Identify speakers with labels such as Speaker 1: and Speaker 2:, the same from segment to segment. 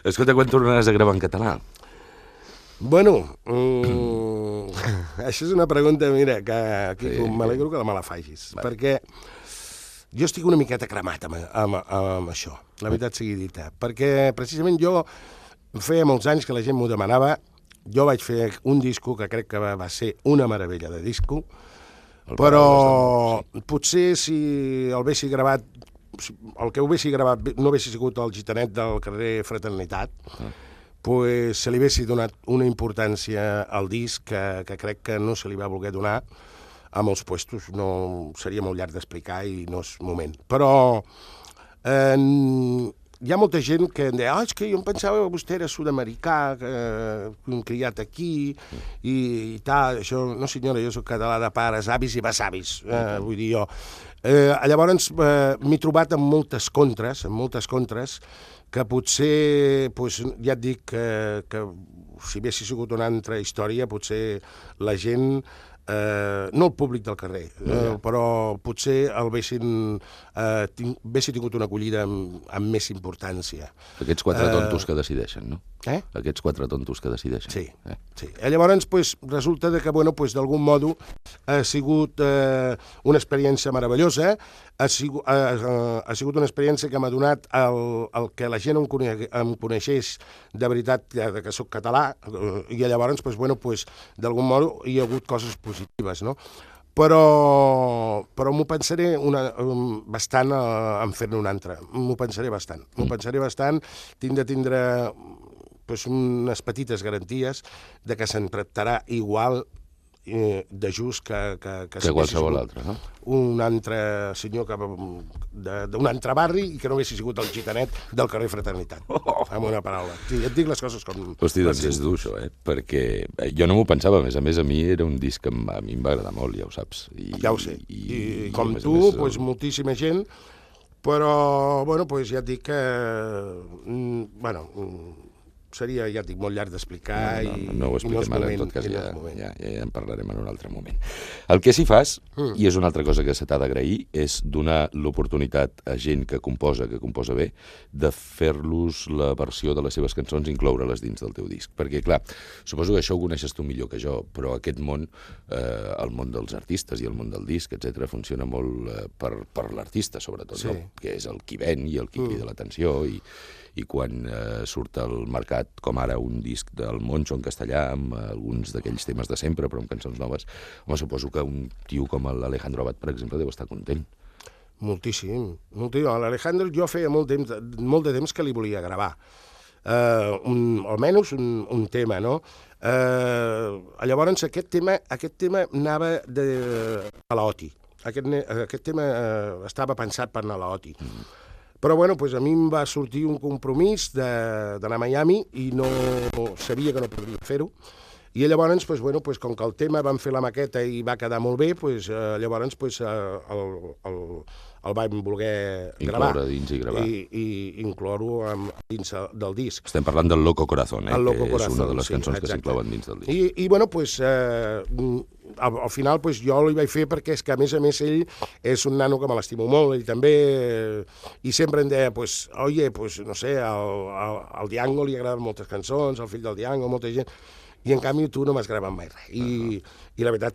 Speaker 1: Escolta, quan tornaràs a gravar en català?
Speaker 2: Bueno, això és una pregunta, mira, que m'alegro que me la facis, perquè jo estic una miqueta cremat amb això, la veritat sigui dita, perquè precisament jo feia molts anys que la gent m'ho demanava, jo vaig fer un disco que crec que va ser una meravella de disco, però potser si el haguessi gravat, el que ho haguessi gravat no haguessi sigut el gitanet del carrer Fraternitat, pues se li haguessi donat una importància al disc que crec que no se li va voler donar a molts puestos. No, seria molt llarg d'explicar i no és moment. Però hi ha molta gent que em deia és que jo em pensava que vostè era sud-americà, criat aquí i tal. Això, no senyora, jo soc català de pares, avis i besavis, vull dir jo. Llavors m'he trobat amb moltes contres, que potser, ja et dic que si haguessi sigut una altra història, potser la gent, no el públic del carrer, però potser haguessi tingut una acollida amb més importància.
Speaker 1: Aquests quatre tontos que decideixen, no?
Speaker 2: Aquests
Speaker 1: quatre tontos que decideixen.
Speaker 2: Sí. Llavors, resulta que, d'algun modo, ha sigut una experiència meravellosa, ha sigut una experiència que m'ha donat el que la gent em coneixés de veritat que soc català, i llavors, d'algun modo, hi ha hagut coses positives, no? Però m'ho pensaré bastant en fer-ne un altre. M'ho pensaré bastant. Tinc de tindre unes petites garanties de que se'n tractarà igual de just que
Speaker 1: qualsevol altre, no?
Speaker 2: Un altre senyor d'un altre barri i que no haguessi sigut el gitanet del carrer Fraternitat, amb una paraula. Sí, et dic les coses com...
Speaker 1: Hosti, doncs és dur això, perquè jo no m'ho pensava, a més a mi era un disc que a mi em va agradar molt, ja ho saps.
Speaker 2: Ja ho sé, i com tu, moltíssima gent, però, ja et dic que... seria, ja et dic, molt llarg d'explicar
Speaker 1: no ho expliquem ara, en tot cas ja en parlarem en un altre moment. El que sí fas, i és una altra cosa que se t'ha d'agrair, és donar l'oportunitat a gent que composa bé, de fer-los la versió de les seves cançons i incloure-les dins del teu disc. Perquè, clar, suposo que això ho coneixes tu millor que jo, però aquest món, el món dels artistes i el món del disc, etc., funciona molt per l'artista, sobretot, que és el qui ven i el qui crida l'atenció, i quan surt al mercat, com ara un disc del Moncho en castellà, amb alguns d'aquells temes de sempre, però amb cançons noves, suposo que un tio com l'Alejandro Abad, per exemple, deu estar content.
Speaker 2: Moltíssim. L'Alejandro jo feia molt de temps que li volia gravar. Almenys un tema, no? Llavors aquest tema anava a l'Oti. Aquest tema estava pensat per anar a l'Oti. Però, a mi em va sortir un compromís d'anar a Miami i no sabia que no podria fer-ho. I llavors, com que el tema vam fer la maqueta i va quedar molt bé, llavors el vam voler gravar.
Speaker 1: Incloure dins i gravar.
Speaker 2: I incloure dins del disc.
Speaker 1: Estem parlant del Loco Corazón,
Speaker 2: El Loco
Speaker 1: que
Speaker 2: Corazón,
Speaker 1: és una de les cançons que s'inclouen dins del disc.
Speaker 2: Al final jo li vaig fer perquè és que, a més, ell és un nano que me l'estimo molt, ell també, i sempre em deia, no sé, al Diango li agraden moltes cançons, al fill del Diango, molta gent, i en canvi tu no m'has gravat mai res. I la veritat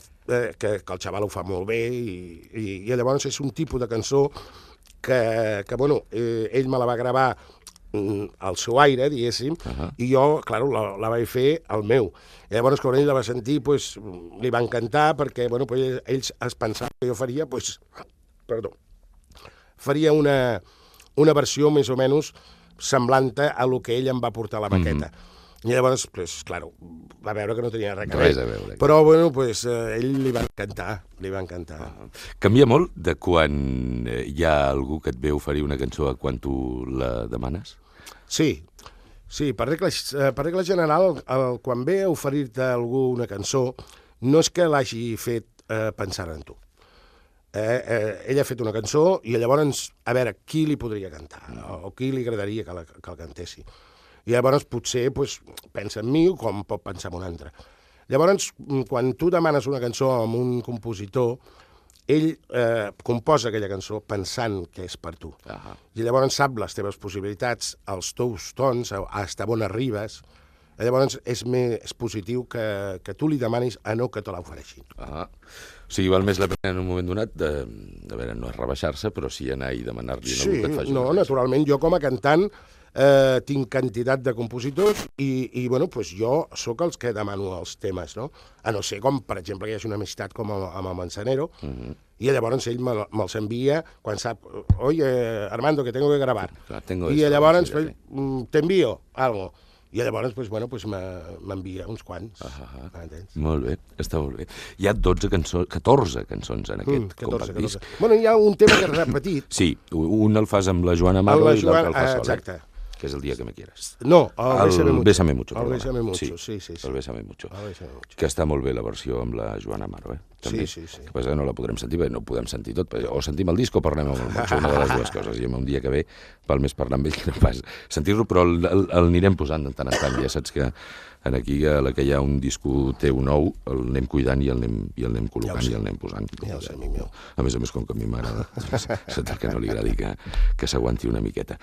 Speaker 2: que el xaval ho fa molt bé, i llavors és un tipus de cançó que ell me la va gravar al seu aire, diguéssim, i jo, clar, la vaig fer al meu. I llavors, quan ell la va sentir, li va encantar, perquè ells es pensaven que jo faria una versió més o menys semblant a lo que ell em va portar a la maqueta. I llavors, clar, va veure que no tenia res
Speaker 1: a veure.
Speaker 2: Però, ell li va encantar.
Speaker 1: Canvia molt de quan hi ha algú que et ve oferir una cançó a quan tu la demanes?
Speaker 2: Sí, per regla general, quan ve a oferir-te algú una cançó, no és que l'hagi fet pensant en tu. Ell ha fet una cançó i llavors, a veure, qui li podria cantar, o qui li agradaria que el cantessi. I llavors potser pensa en mi com pot pensar en un altre. Llavors, quan tu demanes una cançó amb un compositor, ell composa aquella cançó pensant que és per tu. I llavors sap les teves possibilitats, els teus tons, hasta on arribes. Llavors és més positiu que tu li demanis a no que te l'ofereixin.
Speaker 1: O sigui, val més la pena en un moment donat de veure, no és rebaixar-se, però sí anar i demanar-li a algú que et faci una cançó.
Speaker 2: Naturalment, jo com a cantant tinc quantitat de compositors i bueno, pues jo sóc els que demano els temes, no? A no ser com, per exemple, que hi hagi una amistat com amb el Manzanero, i llavors ell me'ls envia quan sap, oye, Armando, que tengo que grabar. I llavors te envío algo. I llavors, pues, bueno, pues m'envia uns quants.
Speaker 1: Molt bé, està molt bé. Hi ha 14 cançons en aquest compact disc.
Speaker 2: Bueno, hi ha un tema que és repetit.
Speaker 1: Sí, un el fas amb la Joana Amaro i l'altre el fas sol.
Speaker 2: Exacte.
Speaker 1: Que és el dia que me quieras.
Speaker 2: No, el Bésame Mucho.
Speaker 1: El
Speaker 2: Bésame Mucho, sí.
Speaker 1: El Bésame Mucho. Que està molt bé la versió amb la Joana Amaro, també.
Speaker 2: Sí.
Speaker 1: El que passa que no la podrem sentir, perquè no ho podem sentir tot. O sentim el disc o parlem amb el Moncho, una de les dues coses. I un dia que ve val més parlar amb ell que no pas sentir-lo, però l'anirem posant de tant en tant. Ja saps que aquí a la que hi ha un disco teu nou, l'anem cuidant i el anem col·locant i el anem posant.
Speaker 2: Ja ho sé, amic meu.
Speaker 1: A més, com que a mi m'agrada, saps el que no li agradi que s'aguanti una miqueta.